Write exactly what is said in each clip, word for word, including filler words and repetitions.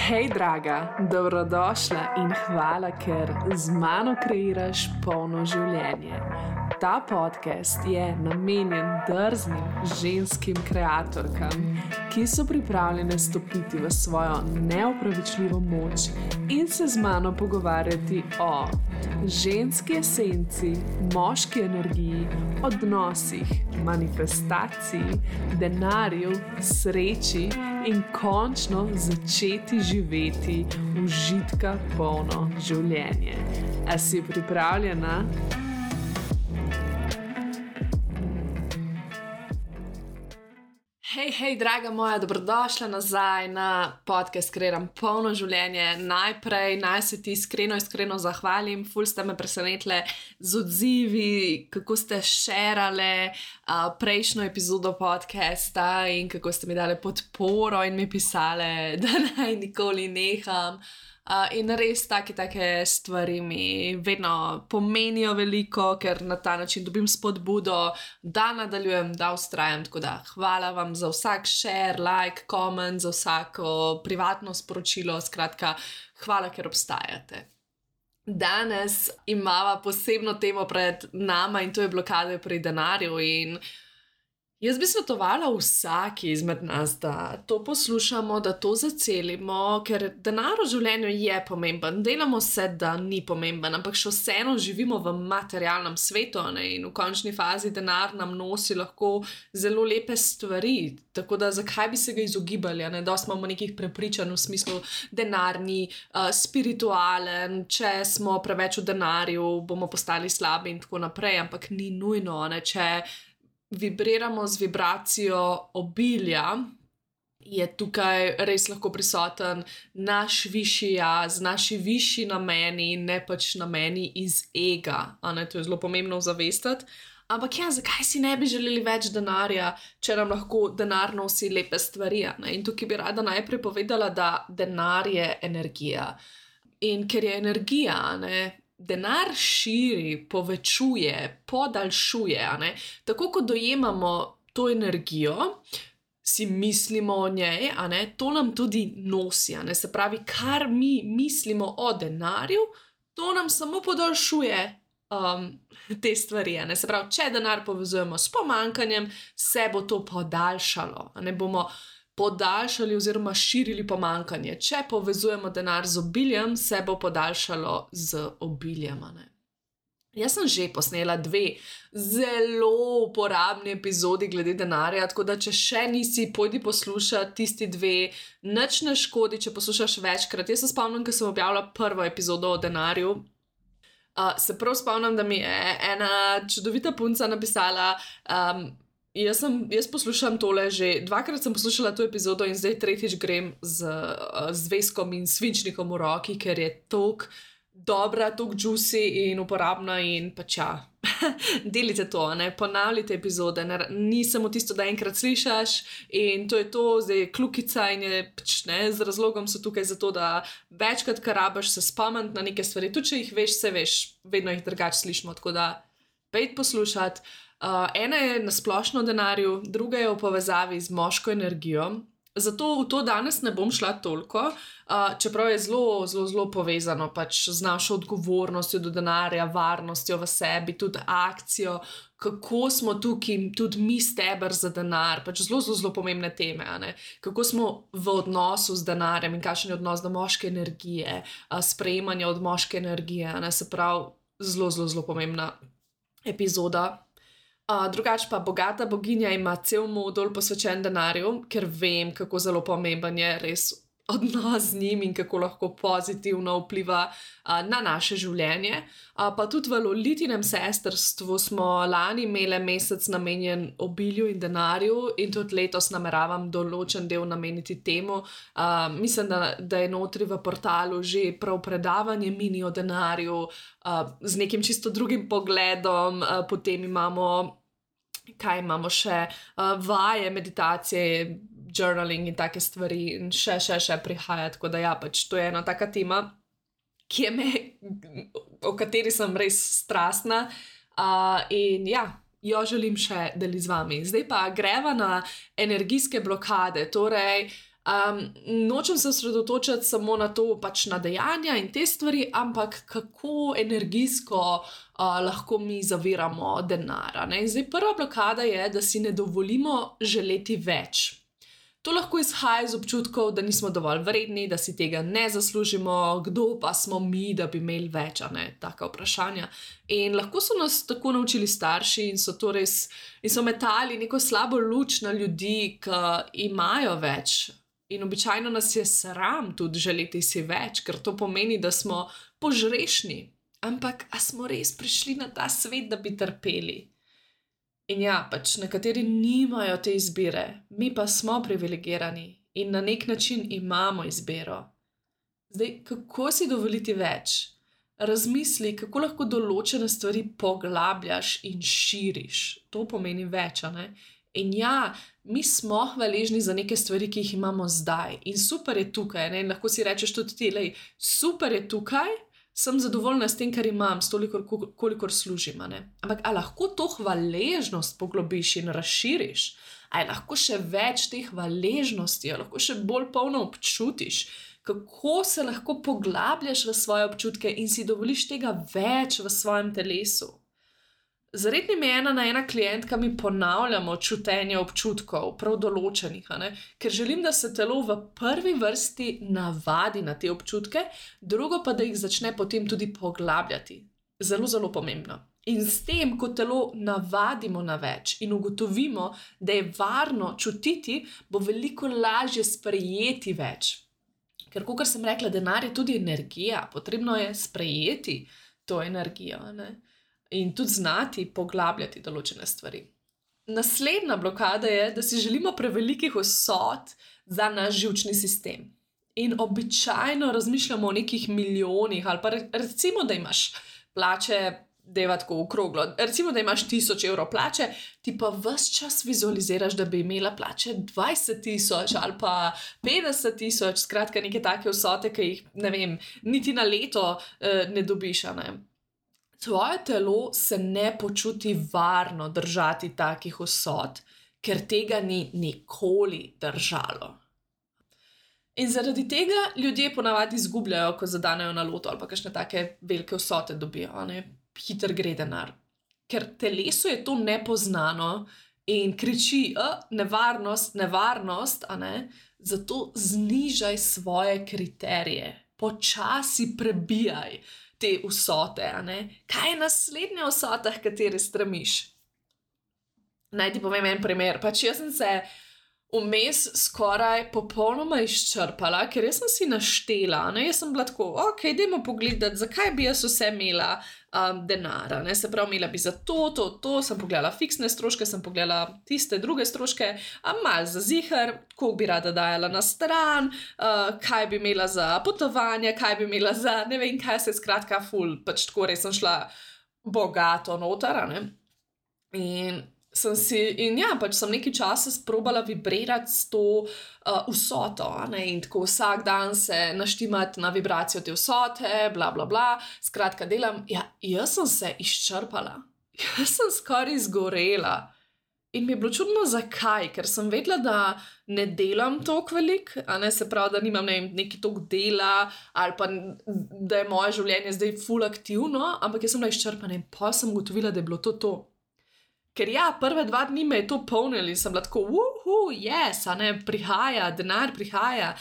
Hej, draga, dobrodošla in hvala, ker z mano kreiraš polno življenje. Ta podcast je namenjen drznim ženskim kreatorkam, ki so pripravljene stopiti v svojo neopravičljivo moč in se z mano pogovarjati o ženski esenci, moški energiji, odnosih, manifestaciji, denarju, sreči in končno začeti živeti užitka polno življenje. A si pripravljena? Hej, hej, draga moja, dobrodošla nazaj na podcast Kreiram polno življenje. Najprej naj se ti iskreno, iskreno zahvalim, ful ste me presenetile z odzivi, kako ste šerale uh, prejšnjo epizodo podcasta in kako ste mi dali podporo in mi pisale, da naj nikoli neham. Uh, in res take, take stvari mi vedno pomenijo veliko, ker na ta način dobim spodbudo, da nadaljujem, da vztrajam. Tako da hvala vam za vsak share, like, comment, za vsako privatno sporočilo. Skratka, hvala, ker obstajate. Danes imava posebno temo pred nama in to je blokade pri denarju. In jaz bi svetovala vsaki izmed nas, da to poslušamo, da to zacelimo, ker denar v življenju je pomemben. Delamo se, da ni pomemben, ampak še vseeno živimo v materialnem svetu, ne? In v končni fazi denar nam nosi lahko zelo lepe stvari. Tako da zakaj bi se ga izogibali? Ne? Dosti imamo nekih prepričanj v smislu denarni, uh, spiritualen, če smo preveč v denarju, bomo postali slabi in tako naprej, ampak ni nujno, ne? Če vibriramo z vibracijo obilja, je tukaj res lahko prisoten naš višji jaz, naši višji nameni, ne pač nameni iz ega. A ne, to je zelo pomembno zavestiti. Ampak ja, zakaj si ne bi želeli več denarja, če nam lahko denar nosi lepe stvari? Ne? In tukaj bi rada najprej povedala, da denar je energija. In ker je energija, ne, denar širi, povečuje, podaljšuje, ne? Tako kot dojemamo to energijo, si mislimo o njej, a ne? To nam tudi nosi, a ne? Se pravi, kar mi mislimo o denarju, to nam samo podaljšuje um, te stvari, a ne? Se pravi, če denar povezujemo s pomanjkanjem, se bo to podaljšalo, a ne bomo podaljšali oziroma širili pomanjkanje. Če povezujemo denar z obiljem, se bo podaljšalo z obiljem. Ne? Jaz sem že posnela dve zelo uporabni epizodi glede denarja, tako da če še nisi, pojdi poslušati tisti dve, nič ne škodi, če poslušaš večkrat. Jaz se spomnim, ko sem objavila prvo epizodo o denarju, uh, se prav spomnim, da mi je ena čudovita punca napisala, um, Jaz, sem, jaz poslušam tole že, dvakrat sem poslušala to epizodo in zdaj tretjič grem z uh, zvezkom in svinčnikom v roki, ker je toliko dobra, toliko juicy in uporabna in pač ja, delite to, ne, ponavljite epizode, ne, ni samo tisto, da enkrat slišaš in to je to, zdaj je kljukica in je pač ne, z razlogom so tukaj zato, da večkrat, kar rabiš se spomniti na neke stvari, tudi če jih veš, se veš, vedno jih drugače slišimo, tako da pejte poslušati. Uh, ena je na splošno denarju, druga je v povezavi z moško energijo. Zato v to danes ne bom šla toliko, uh, čeprav je zelo, zelo, zelo povezano pač z našo odgovornostjo do denarja, varnostjo v sebi, tudi akcijo, kako smo tukaj, tudi mi steber za denar, pač zelo, zelo, zelo pomembne teme, a ne? Kako smo v odnosu z denarjem in kakšen je odnos do moške energije, uh, sprejemanje od moške energije, a ne? Se pravi, zelo, zelo, zelo pomembna epizoda. Uh, drugače pa bogata boginja ima cel modul posvečen denarju, ker vem, kako zelo pomemben je res odnos z njim in kako lahko pozitivno vpliva uh, na naše življenje. Uh, pa tudi v Lolitinem sestrstvu smo lani imeli mesec namenjen obilju in denarju in tudi letos nameravam določen del nameniti temu. Uh, mislim, da, da je notri v portalu že prav predavanje mini o denarju uh, z nekim čisto drugim pogledom, uh, potem imamo kaj imamo še, uh, vaje, meditacije, journaling in take stvari in še, še, še prihaja, tako da ja, pač to je ena taka tema, ki je me, o kateri sem res strastna uh, in ja, jo želim še deliti z vami. Zdaj pa greva na energijske blokade, torej Um, nočem se osredotočati samo na to, pač na dejanja in te stvari, ampak kako energijsko uh, lahko mi zaviramo denara. Ne? In zdaj prva blokada je, da si ne dovolimo želeti več. To lahko izhaja iz občutkov, da nismo dovolj vredni, da si tega ne zaslužimo, kdo pa smo mi, da bi imeli več, a ne, taka vprašanja. In lahko so nas tako naučili starši in so to res, in so metali neko slabo luč na ljudi, ki imajo več. In običajno nas je sram tudi želeti si več, ker to pomeni, da smo požrešni. Ampak, a smo res prišli na ta svet, da bi trpeli? In ja, pač nekateri nimajo te izbire, mi pa smo privilegirani in na nek način imamo izbiro. Zdaj, kako si dovoliti več? Razmisli, kako lahko določene stvari poglabljaš in širiš. To pomeni več, a ne? In ja, mi smo hvaležni za neke stvari, ki jih imamo zdaj. In super je tukaj, ne? In lahko si rečeš tudi ti, lej, super je tukaj, sem zadovoljna s tem, kar imam, s toliko, kolikor služim, a ne? Ampak a lahko to hvaležnost poglobiš in razširiš? A je lahko še več te hvaležnosti, a lahko še bolj polno občutiš? Kako se lahko poglabljaš v svoje občutke in si dovoliš tega več v svojem telesu? Z rednim je ena na ena klientka mi ponavljamo čutenje občutkov, prav določenih, a ne? Ker želim, da se telo v prvi vrsti navadi na te občutke, drugo pa, da jih začne potem tudi poglabljati. Zelo, zelo pomembno. In s tem, ko telo navadimo na več in ugotovimo, da je varno čutiti, bo veliko lažje sprejeti več. Ker, kakor sem rekla, denar je tudi energija, potrebno je sprejeti to energijo, a ne? In tudi znati poglabljati določene stvari. Naslednja blokada je, da si želimo prevelikih vsot za naš živčni sistem. In običajno razmišljamo o nekih milijonih, ali pa recimo, da imaš plače, deva tako okroglo, recimo, da imaš tisoč evrov plače, ti pa ves čas vizualiziraš, da bi imela plače dvajset tisoč ali pa petdeset tisoč, skratka neke take vsote, ki jih, ne vem, niti na leto eh, ne dobiš, a ne. Tvoje telo se ne počuti varno držati takih vsot, ker tega ni nikoli držalo. In zaradi tega ljudje ponavadi izgubljajo, ko zadanejo na loto ali pa kakšne take velike vsote dobijo, a ne, hiter gre denar. Ker telesu je to nepoznano in kriči, nevarnost, nevarnost, a ne, zato znižaj svoje kriterije, počasi prebijaj te vsote, a ne? Kaj je naslednja vsota, h kateri stremiš? Naj ti povem en primer. Pač jaz sem se vmes skoraj popolnoma izčrpala, ker jaz sem si naštela, ne? Jaz sem bila tako, ok, dajmo pogledati, zakaj bi jaz vse imela um, denara, ne? Se pravi, imela bi za to, to, to, sem pogledala fiksne stroške, sem pogledala tiste druge stroške, a malo za ziher, koliko bi rada dajala na stran, uh, kaj bi imela za potovanje, kaj bi imela za, ne vem, kaj se skratka ful, pač tako res sem šla bogato noter, ne? In sem si, in ja, pač sem nekaj časa sprobala vibrirati s to uh, vsoto, ne, in tako vsak dan se naštimati na vibracijo te vsote, bla, bla, bla, skratka delam, ja, jaz sem se izčrpala, jaz sem skoraj izgorela in mi je bilo čudno, zakaj, ker sem vedela, da ne delam toliko velik, a ne, se pravi, da nimam ne, neki toliko dela, ali pa da je moje življenje zdaj ful aktivno, ampak jaz sem bila izčrpana in pa sem ugotovila, da je bilo to to. Ker ja, prve dva dni me je to polnili in sem bila tako, uhu, yes, a ne, prihaja, denar prihaja.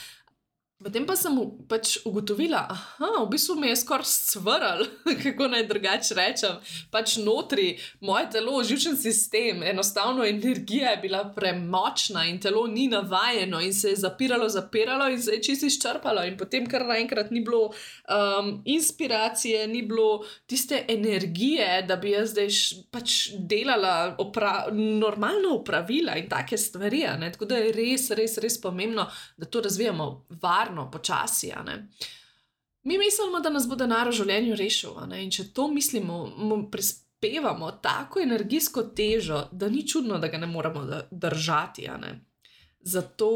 Potem pa sem pač ugotovila, aha, v bistvu me je skoraj scvrl, kako naj drugače rečem, pač notri, moje telo, živčen sistem, enostavno energija je bila premočna in telo ni navajeno in se je zapiralo, zapiralo in se je čisto izčrpalo in potem kar naenkrat ni bilo um, inspiracije, ni bilo tiste energije, da bi jaz zdaj š, pač delala opra- normalno opravila in take stvari, ne? Tako da je res, res, res pomembno, da to razvijamo varno, počasi, a ne. Mi mislimo, da nas bo denar v življenju rešil, a ne, in če to mislimo, mu prispevamo tako energijsko težo, da ni čudno, da ga ne moramo držati, a ne. Zato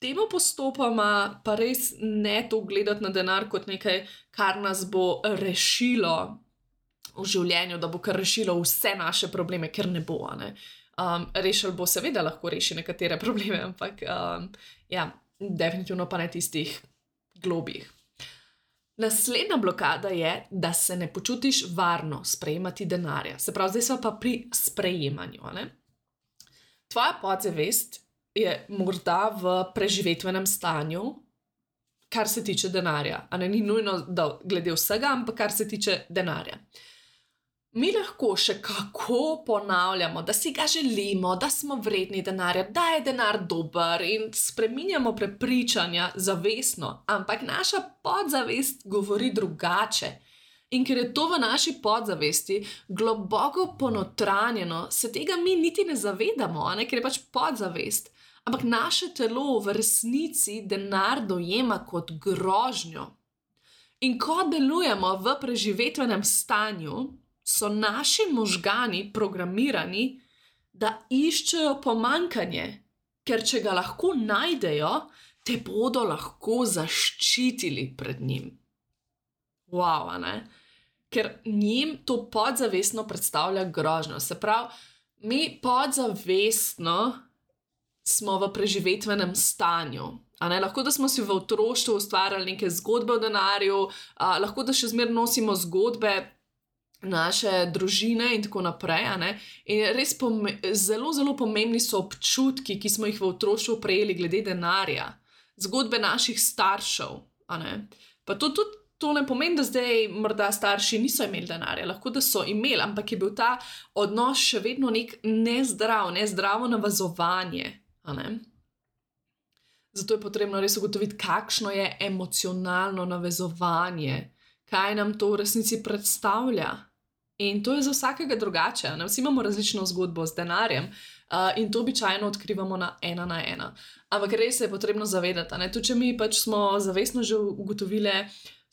temu postopoma pa res ne to gledati na denar kot nekaj, kar nas bo rešilo v življenju, da bo kar rešilo vse naše probleme, ker ne bo, a ne. Um, rešil bo seveda lahko reši nekatere probleme, ampak um, ja, definitivno pa ne tistih globih. Naslednja blokada je, da se ne počutiš varno sprejemati denarja. Se pravi, zdaj smo pa pri sprejemanju. Ne? Tvoja podzavest je morda v preživetvenem stanju, kar se tiče denarja. A ne, ni nujno, da glede vsega, ampak kar se tiče denarja. Mi lahko še kako ponavljamo, da si ga želimo, da smo vredni denarja, da je denar dober in spreminjamo prepričanja zavestno, ampak naša podzavest govori drugače. In ker je to v naši podzavesti globoko ponotranjeno, se tega mi niti ne zavedamo, ne? Ker je pač podzavest. Ampak naše telo v resnici denar dojema kot grožnjo. In ko delujemo v preživetvenem stanju, so naši možgani programirani, da iščejo pomanjkanje, ker če ga lahko najdejo, te bodo lahko zaščitili pred njim. Wow, a ne? Ker njim to podzavestno predstavlja grožnjo. Se pravi, mi podzavestno smo v preživetvenem stanju. A ne? Lahko, da smo si v otroštvu ustvarjali neke zgodbe o denarju, a, lahko, da še zmeraj nosimo zgodbe naše družine in tako naprej. A ne? In res pome- zelo, zelo pomembni so občutki, ki smo jih v otroštvu prejeli glede denarja. Zgodbe naših staršev. A ne? Pa to tudi to ne pomeni, da zdaj morda starši niso imeli denarja. Lahko, da so imeli, ampak je bil ta odnos še vedno nek nezdrav, nezdravo navezovanje. A ne? Zato je potrebno res ugotoviti, kakšno je emocionalno navezovanje, kaj nam to v resnici predstavlja. In to je za vsakega drugače. Ne? Vsi imamo različno zgodbo z denarjem uh, in to običajno odkrivamo na ena na ena. Ampak res se je potrebno zavedati. Ne? Tudi če mi pač smo zavestno že ugotovili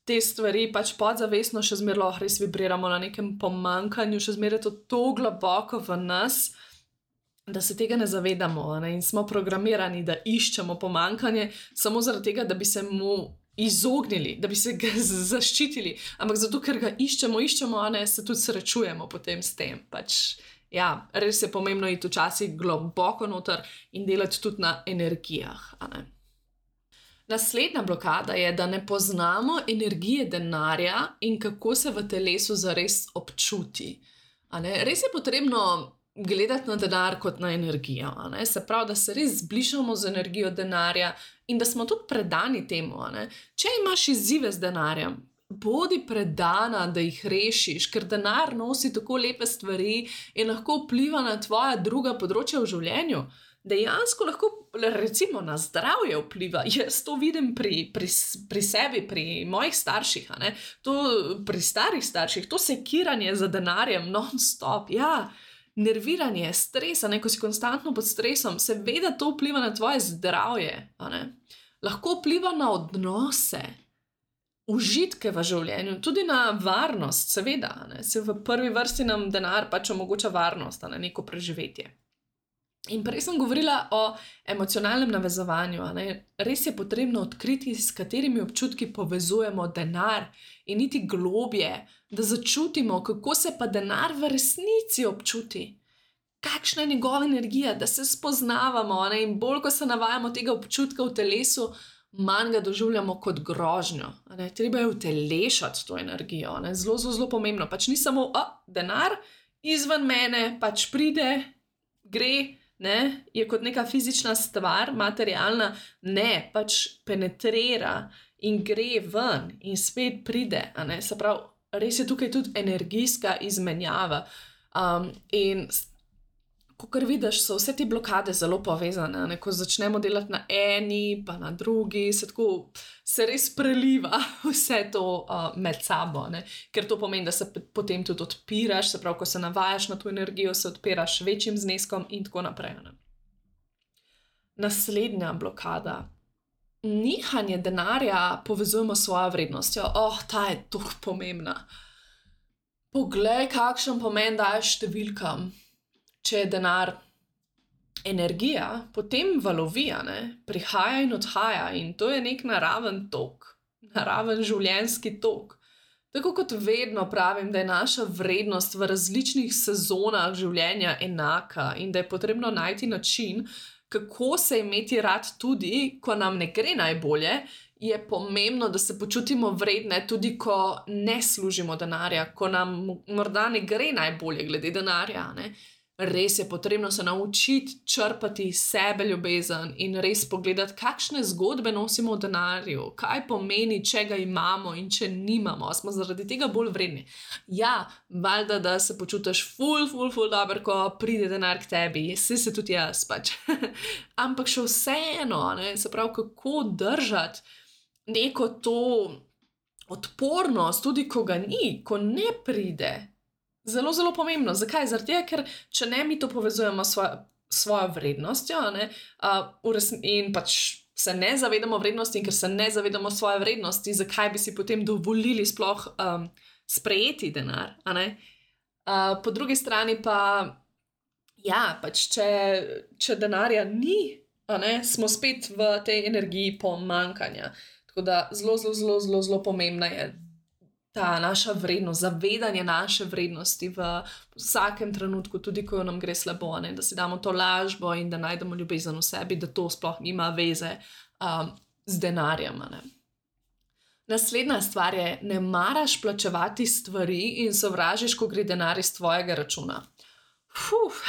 te stvari, pač podzavestno še zmeraj lahko res vibriramo na nekem pomanjkanju, še zmeraj je to tako globoko v nas, da se tega ne zavedamo, ne? In smo programirani, da iščemo pomanjkanje samo zaradi tega, da bi se mu izognili, da bi se ga zaščitili, ampak zato, ker ga iščemo, iščemo, a ne, se tudi srečujemo potem s tem. Pač, ja, res je pomembno iti včasih globoko noter in delati tudi na energijah, a ne. Naslednja blokada je, da ne poznamo energije denarja in kako se v telesu zares občuti. A ne? Res je potrebno gledati na denar kot na energijo. A ne? Se pravi, da se res zbližamo z energijo denarja in da smo tudi predani temu. A ne? Če imaš izzive z denarjem, bodi predana, da jih rešiš, ker denar nosi tako lepe stvari in lahko vpliva na tvoja druga področja v življenju. Dejansko lahko, recimo, na zdravje vpliva. Jaz to vidim pri, pri, pri sebi, pri mojih starših, a ne? To pri starih starših, to sekiranje za denarjem non-stop, ja, nerviranje, stres, a ne, ko si konstantno pod stresom, seveda to vpliva na tvoje zdravje, a ne? Lahko vpliva na odnose, užitke v življenju, tudi na varnost, seveda, a ne? Se v prvi vrsti nam denar pač omogoča varnost, a ne, neko preživetje. In prej sem govorila o emocionalnem navezovanju. A ne? Res je potrebno odkriti, s katerimi občutki povezujemo denar in iti globje, da začutimo, kako se pa denar v resnici občuti. Kakšna je njegova energija, da se spoznavamo, a ne? In bolj, ko se navajamo tega občutka v telesu, manj ga doživljamo kot grožnjo. A ne? Treba je utelešati to energijo. A ne? Zelo, zelo, zelo pomembno. Pač ni samo o, denar izven mene, pač pride, gre, ne, je kot neka fizična stvar, materialna, ne, pač penetrira in gre ven in spet pride, a ne, se pravi, res je tukaj tudi energijska izmenjava. Um, in kakor vidiš, so vse te blokade zelo povezane, ne, ko začnemo delati na eni, pa na drugi, se tako, se res preliva vse to uh, med sabo, ne, ker to pomeni, da se potem tudi odpiraš, se pravi, ko se navajaš na to energijo, se odpiraš večjim zneskom in tako naprej, ne. Naslednja blokada. Nihanje denarja povezujemo s svojo vrednostjo. Oh, ta je tako pomembna. Poglej, kakšen pomen daješ številkam. Če je denar energija, potem valovi, a ne, prihaja in odhaja in to je nek naraven tok, naraven življenjski tok. Tako kot vedno pravim, da je naša vrednost v različnih sezonah življenja enaka in da je potrebno najti način, kako se imeti rad tudi, ko nam ne gre najbolje, je pomembno, da se počutimo vredne tudi, ko ne služimo denarja, ko nam morda ne gre najbolje glede denarja, ne. Res je potrebno se naučiti črpati iz sebe ljubezen in res pogledati, kakšne zgodbe nosimo v denarju, kaj pomeni, če ga imamo in če nimamo, smo zaradi tega bolj vredni. Ja, valjda, da se počutiš ful, ful, ful dobro, ko pride denar k tebi, saj se tudi jaz pač. Ampak še vseeno, ne, se pravi, kako držati neko to odpornost, tudi ko ga ni, ko ne pride. Zelo, zelo pomembno. Zakaj? Zaradi tega, ker če ne mi to povezujemo s svojo, svojo vrednostjo, ne, uh, in pač se ne zavedamo vrednosti in ker se ne zavedamo svoje vrednosti, zakaj bi si potem dovolili sploh um, sprejeti denar, a ne? Uh, po drugi strani pa, ja, pač če, če denarja ni, a ne, smo spet v tej energiji pomanjkanja. Tako da zelo, zelo, zelo, zelo, zelo pomembna je ta naša vrednost, zavedanje naše vrednosti v vsakem trenutku, tudi ko nam gre slabo, ne? Da si damo to lažbo in da najdemo ljubezen v sebi, da to sploh nima veze um, z denarjem. Ne? Naslednja stvar je, ne maraš plačevati stvari in sovražiš, ko gre denar iz tvojega računa. Fuh.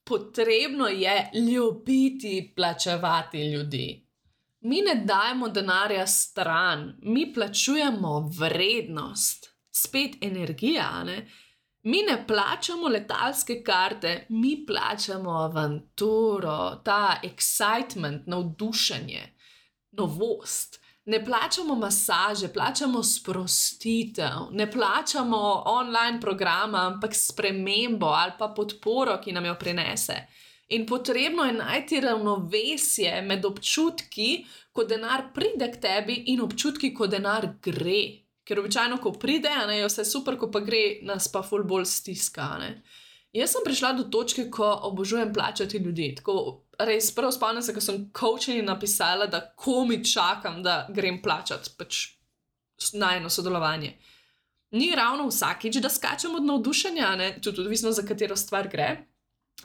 Potrebno je ljubiti plačevati ljudi. Mi ne dajemo denarja stran, mi plačujemo vrednost, spet energija, ne? Mi ne plačamo letalske karte, mi plačamo avanturo, ta excitement, navdušenje, novost. Ne plačamo masaže, plačamo sprostitev, ne plačamo online programa, ampak spremembo ali pa podporo, ki nam jo prinese. In potrebno je najti ravnovesje med občutki, ko denar pride k tebi in občutki, ko denar gre. Ker običajno, ko pride, ne, je vse super, ko pa gre, nas pa ful bolj stiska. Ne. Jaz sem prišla do točke, ko obožujem plačati ljudi. Tako res prvo spomnim se, ko sem coachingi napisala, da komi čakam, da grem plačati pač najino sodelovanje. Ni ravno vsakič, da skačem od navdušenja, ne, tudi odvisno, za katero stvar gre.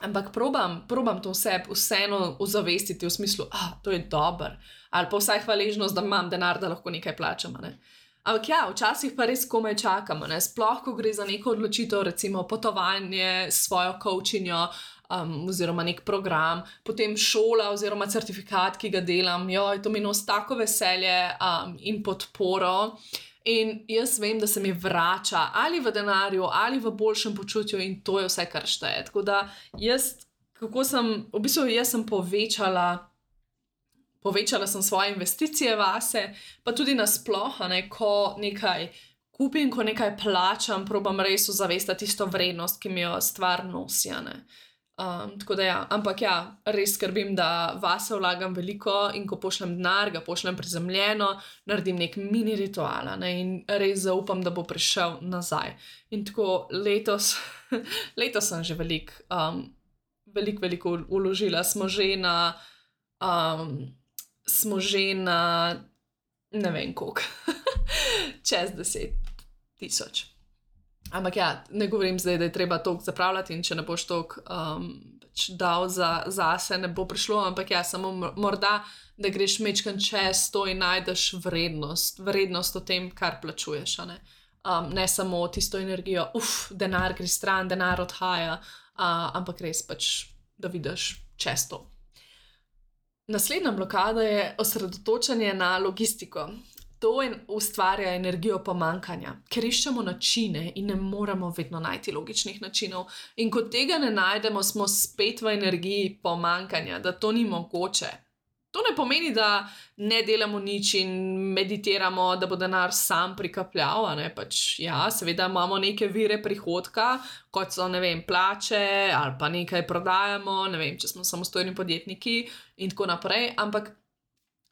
Ampak probam, probam to vse vseeno ozavestiti v smislu, ah, to je dober, ali pa vsaj hvaležnost, da imam denar, da lahko nekaj plačam, ne. Ampak ja, včasih pa res komaj čakamo, ne, sploh, ko gre za neko odločitev, recimo potovanje s svojo coachinjo, um, oziroma nek program, potem šola oziroma certifikat, ki ga delam, joj, to mi nosi tako veselje um, in podporo. In jaz vem, da se mi vrača ali v denarju, ali v boljšem počutju in to je vse, kar šteje. Tako da jaz, kako sem, v bistvu jaz sem povečala, povečala sem svoje investicije vase, pa tudi nasploh, ne, ko nekaj kupim, ko nekaj plačam, probam res ozavestiti tisto vrednost, ki mi jo stvar nosi, ne. Um, tako da ja, ampak ja, res skrbim, da vase vlagam veliko in ko pošljem denar, ga pošljem prizemljeno, naredim nek mini ritual, ne, in res zaupam, da bo prišel nazaj. In tako letos, letos sem že veliko, um, veliko, veliko vložila, smo že na, um, smo že na, ne vem koliko, čez deset tisoč. Ampak ja, ne govorim zdaj, da je treba toliko zapravljati in če ne boš toliko um, pač dal za, zase, ne bo prišlo, ampak ja, samo morda, da greš mečkan čez to in najdeš vrednost, vrednost o tem, kar plačuješ, a ne. Um, ne samo tisto energijo, uf, denar gre stran, denar odhaja, uh, ampak res pač, da vidiš čez to. Naslednja blokada je osredotočanje na logistiko. To ustvarja energijo pomanjkanja, ker iščemo načine in ne moremo vedno najti logičnih načinov. In ko tega ne najdemo, smo spet v energiji pomanjkanja, da to ni mogoče. To ne pomeni, da ne delamo nič in meditiramo, da bo denar sam prikapljal, a ne, pač ja, seveda imamo neke vire prihodka, kot so, ne vem, plače ali pa nekaj prodajamo, ne vem, če smo samostojni podjetniki in tako naprej, ampak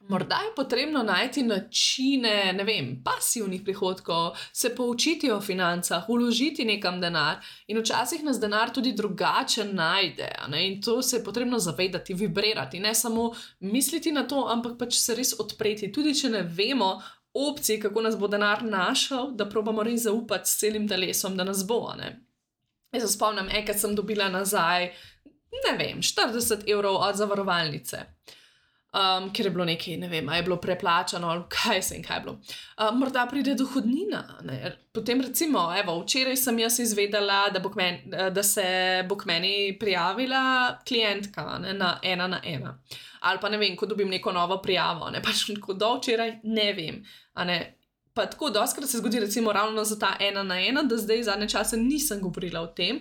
morda je potrebno najti načine, ne vem, pasivnih prihodkov, se poučiti o financah, vložiti nekam denar in včasih nas denar tudi drugače najde, ne? In to se je potrebno zavedati, vibrirati, ne samo misliti na to, ampak pač se res odpreti, tudi če ne vemo opcij, kako nas bo denar našel, da probamo res zaupati s celim telesom, da nas bo, ne? Jaz se spomnim, enkrat sem dobila nazaj ne vem, štirideset evrov od zavarovalnice. Um, ker je bilo nekaj, ne vem, a je bilo preplačano, ali kaj se in kaj je bilo. Uh, morda pride dohodnina. Ne? Potem recimo, evo, včeraj sem jaz izvedela, da, bo k meni, da se bo k meni prijavila klientka, ne, na ena na ena. Ali pa ne vem, ko dobim neko novo prijavo, ne, pač ko do včeraj ne vem. A ne, pa tako doskrat se zgodi recimo ravno za ta ena na ena, da zdaj zadnje čase nisem govorila o tem.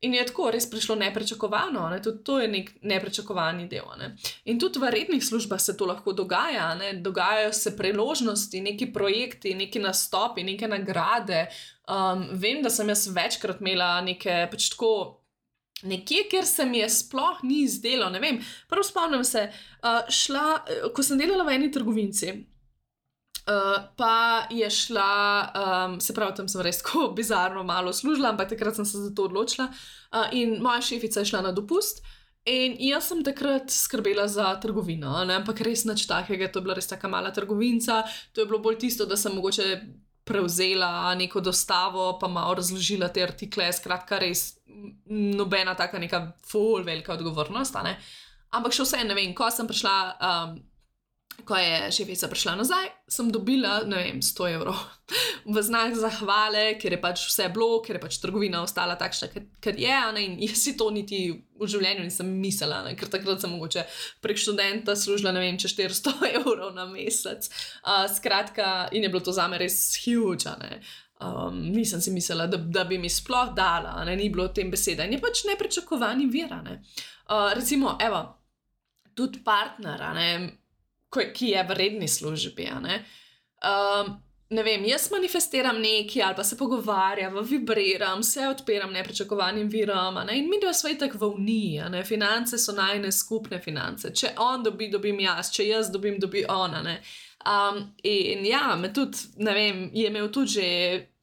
In je tako res prišlo neprečakovano, ne? Tudi to je nek neprečakovani del. Ne? In tudi v rednih službah se to lahko dogaja, ne? Dogajajo se priložnosti, neki projekti, neki nastopi, neke nagrade. Um, vem, da sem jaz večkrat imela neke pač tako nekje, kjer se mi je sploh ni izdelo, ne vem. Prvo spomnim se, uh, šla, ko sem delala v eni trgovinci, Uh, pa je šla, um, se pravi, tam sem res tako bizarno malo služila, ampak takrat sem se za to odločila. Uh, in moja šefica je šla na dopust in jaz sem takrat skrbela za trgovino, ne? Ampak res nič takega, to je bila res taka mala trgovinca, to je bilo bolj tisto, da sem mogoče prevzela neko dostavo, pa malo razložila te artikle, skratka res nobena taka neka ful velika odgovornost, a ne? Ampak še vse, ne vem, ko sem prišla... Um, Ko je šefica prišla nazaj, sem dobila, ne vem, sto evrov v znak zahvale, ker je pač vse bilo, ker je pač trgovina ostala takšna, ker je, ne, in jaz si to niti v življenju nisem mislila, ne, ker takrat sem mogoče prek študenta služila, ne vem, če štiristo evrov na mesec. Uh, skratka, in je bilo to zame res huge, ne. Um, nisem si mislila, da, da bi mi sploh dala, ne, ni bilo o tem besede. In je pač nepričakovani vir, ne. Uh, recimo, evo, tudi partner, ne, ki je v redni službi, ne. Um, ne vem, jaz manifestiram nekaj ali pa se pogovarjam, vibriram, se odpiram nepričakovanim virom, ne, in mi dva sva itak v uniji, ne, finance so najine skupne finance, če on dobi, dobim jaz, če jaz dobim, dobi ona, ne. Um, in ja, me tudi, ne vem, je imel tudi že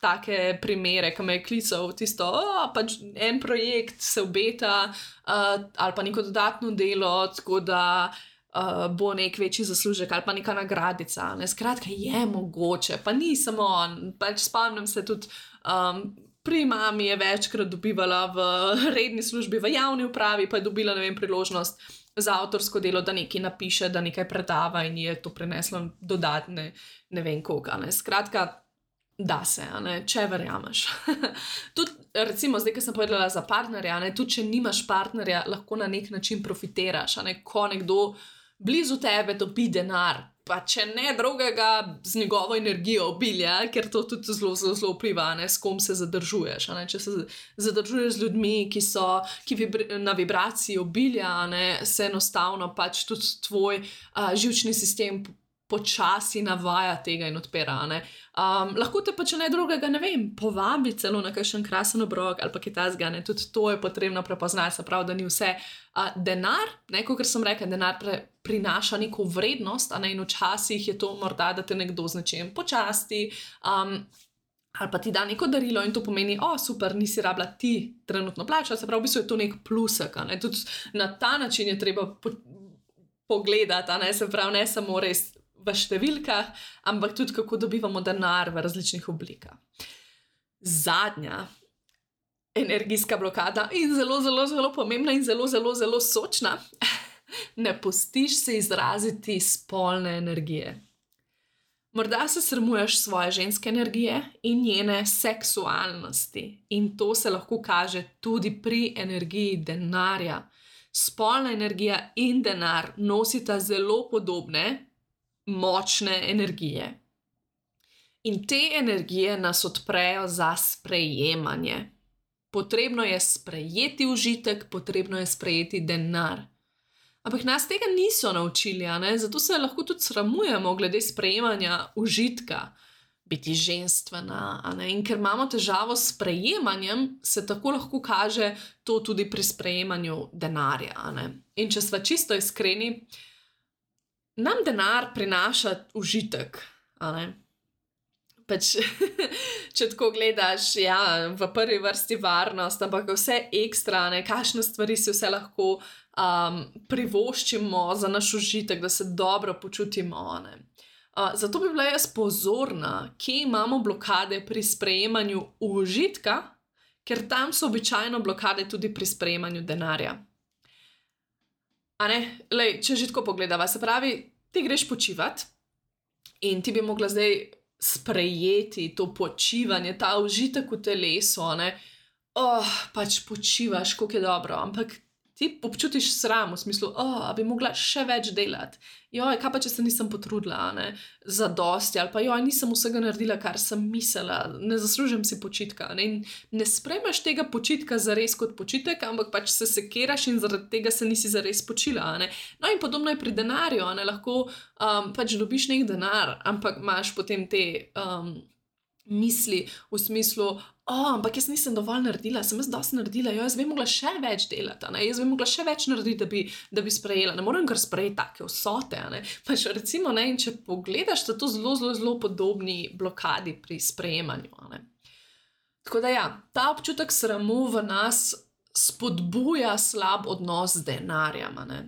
take primere, ko me je klical tisto, oh, pač en projekt se obeta, uh, ali pa neko dodatno delo, tako da Uh, bo nek večji zaslužek ali pa neka nagradica. Ne? Skratka, je mogoče, pa ni samo on. Pač spomnim se tudi, um, pri mami je večkrat dobivala v redni službi, v javni upravi, pa je dobila, ne vem, priložnost za avtorsko delo, da nekaj napiše, da nekaj predava in je to prineslo dodatne, ne vem koga. Ne? Skratka, da se, ne? Če verjameš. Tudi, recimo, zdaj, ko sem povedala za partnerja, ne? Tudi, če nimaš partnerja, lahko na nek način profitiraš, ne? Ko nekdo blizu tebe dobi denar, pa če ne drugega z njegovo energijo obilja, ker to tudi zelo, zelo, zelo vpliva, ne, s kom se zadržuješ. Ne? Če se zadržuješ z ljudmi, ki so ki vibri, na vibraciji obilja, ne, se enostavno pač tudi tvoj uh, živčni sistem počasi navaja tega in odpira. Ne? Um, lahko te pa, če ne drugega, ne vem, povabi celo na kakšen krasen obrok ali pa kaj takega, ne, tudi to je potrebno prepoznati, se pravi, da ni vse uh, denar, ne, kot sem rekla, denar pre, prinaša neko vrednost, a ne, in včasih je to morda, da te nekdo z nečem počasti, um, ali pa ti da neko darilo in to pomeni, o, super, nisi rabila ti trenutno plačati, se pravi, v bistvu je to nek plusek, a ne, tudi na ta način je treba po, pogledati, a ne, se pravi, ne samo res v številkah, ampak tudi kako dobivamo denar v različnih oblikah. Zadnja energijska blokada in zelo, zelo, zelo pomembna in zelo, zelo, zelo sočna. Ne pustiš se izraziti spolne energije. Morda se sramuješ svoje ženske energije in njene seksualnosti in to se lahko kaže tudi pri energiji denarja. Spolna energija in denar nosita zelo podobne močne energije. In te energije nas odprejo za sprejemanje. Potrebno je sprejeti užitek, potrebno je sprejeti denar. Ampak nas tega niso naučili, a ne? Zato se lahko tudi sramujemo glede sprejemanja užitka, biti ženstvena, a ne? In ker imamo težavo s sprejemanjem, se tako lahko kaže to tudi pri sprejemanju denarja, a ne? In če sva čisto iskreni, nam denar prinaša užitek, a ne? Pač, če tako gledaš, ja, v prvi vrsti varnost, ampak vse ekstra, ne, kakšne stvari si vse lahko um, privoščimo za naš užitek, da se dobro počutimo, ne. Uh, zato bi bila jaz pozorna, kje imamo blokade pri sprejemanju užitka, ker tam so običajno blokade tudi pri sprejemanju denarja. A ne, lej, če že tako pogledava, se pravi, ti greš počivati in ti bi mogla zdaj sprejeti to počivanje, ta užitek v telesu, ne, oh, pač počivaš, koliko je dobro, ampak ti občutiš sram v smislu, oh, bi mogla še več delati. Joj, kaj pa, če se nisem potrudila, ne, za dosti, ali pa joj, nisem vsega naredila, kar sem mislila, ne zaslužim si počitka, ne, in ne sprejmeš tega počitka zares kot počitek, ampak pač se sekiraš in zaradi tega se nisi zares počila, ne. No in podobno je pri denarju, ne, lahko um, pač dobiš nek denar, ampak imaš potem te um, misli v smislu, oh, ampak jaz nisem dovolj naredila, sem jaz dosti naredila, jo, jaz bi mogla še več delati, ne? Jaz bi mogla še več narediti, da bi, da bi sprejela, ne morem kar sprejeti take vsote, ne? Pač recimo, ne, in če pogledaš, so to zelo, zelo, zelo podobni blokadi pri sprejemanju, ne? Tako da ja, ta občutek sramu v nas spodbuja slab odnos z denarjem, ne?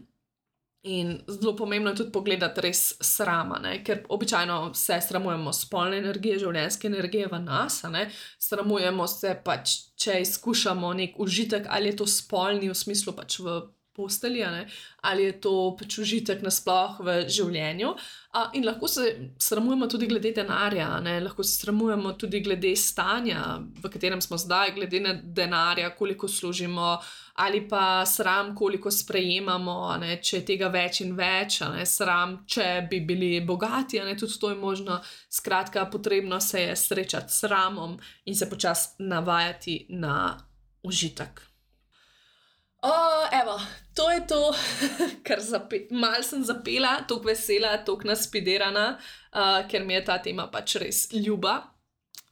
In zelo pomembno je tudi pogledati res srama, ne? Ker običajno se sramujemo spolne energije, življenjske energije v nas, ne? Sramujemo se pač, če izkušamo nek užitek, ali je to spolni v smislu pač v postelji, ne? Ali je to pač užitek nasploh v življenju. A, in lahko se sramujemo tudi glede denarja, ne? Lahko se sramujemo tudi glede stanja, v katerem smo zdaj, glede na denarja, koliko služimo, ali pa sram, koliko sprejemamo, ne? Če je tega več in več, ne? Sram, če bi bili bogati, ne? Tudi to je možno. Skratka, potrebno se je srečati s sramom in se počasi navajati na užitek. O, evo, to je to, kar zape- mal sem zapela, toliko vesela, toliko naspiderana, uh, ker mi je ta tema pač res ljuba.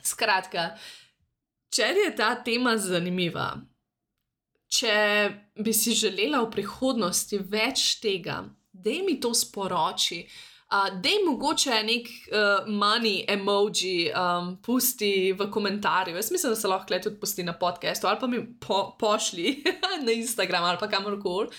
Skratka, če je ta tema zanimiva, če bi si želela v prihodnosti več tega, daj mi to sporoči, uh, daj mogoče nek uh, money emoji um, pusti v komentarju. Jaz mislim, da se lahko tudi pusti na podcastu ali pa mi po, pošli na Instagram ali pa kamorkoli.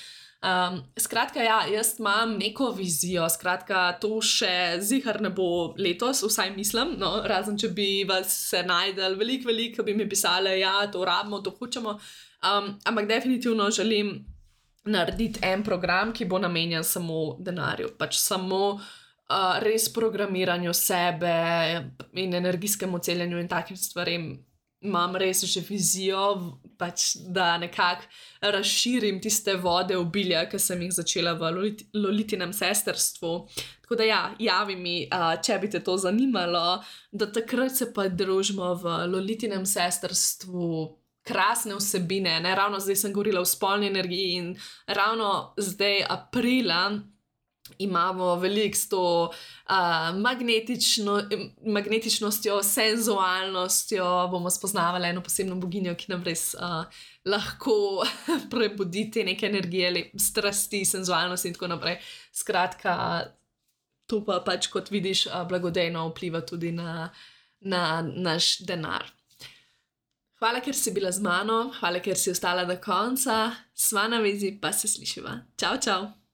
Um, skratka, ja, jaz imam neko vizijo, skratka, to še zihar ne bo letos, vsaj mislim, no, razen če bi vas se najdel veliko, veliko, bi mi pisali, ja, to rabimo, to hočemo, um, ampak definitivno želim narediti en program, ki bo namenjen samo denarju, pač samo uh, res programiranju sebe in energijskemu celjenju in takim stvarem. Imam res že vizijo, pač, da nekako razširim tiste vode obilja, ki sem jih začela v Lolit- Lolitinem sestrstvu. Tako da ja, javi mi, uh, če bi te to zanimalo, da takrat se pa družimo v Lolitinem sestrstvu. Krasne vsebine, ne? Ravno zdaj sem govorila o spolni energiji in ravno zdaj aprila imamo veliko s to uh, magnetično, magnetičnostjo, senzualnostjo, bomo spoznavali eno posebno boginjo, ki nam res uh, lahko prebudi te neke energije, lep, strasti, senzualnosti in tako naprej. Skratka, to pa pač, kot vidiš, uh, blagodejno vpliva tudi na, na naš denar. Hvala, ker si bila z mano, hvala, ker si ostala do konca, sva na vezi, pa se slišiva. Čau, čau!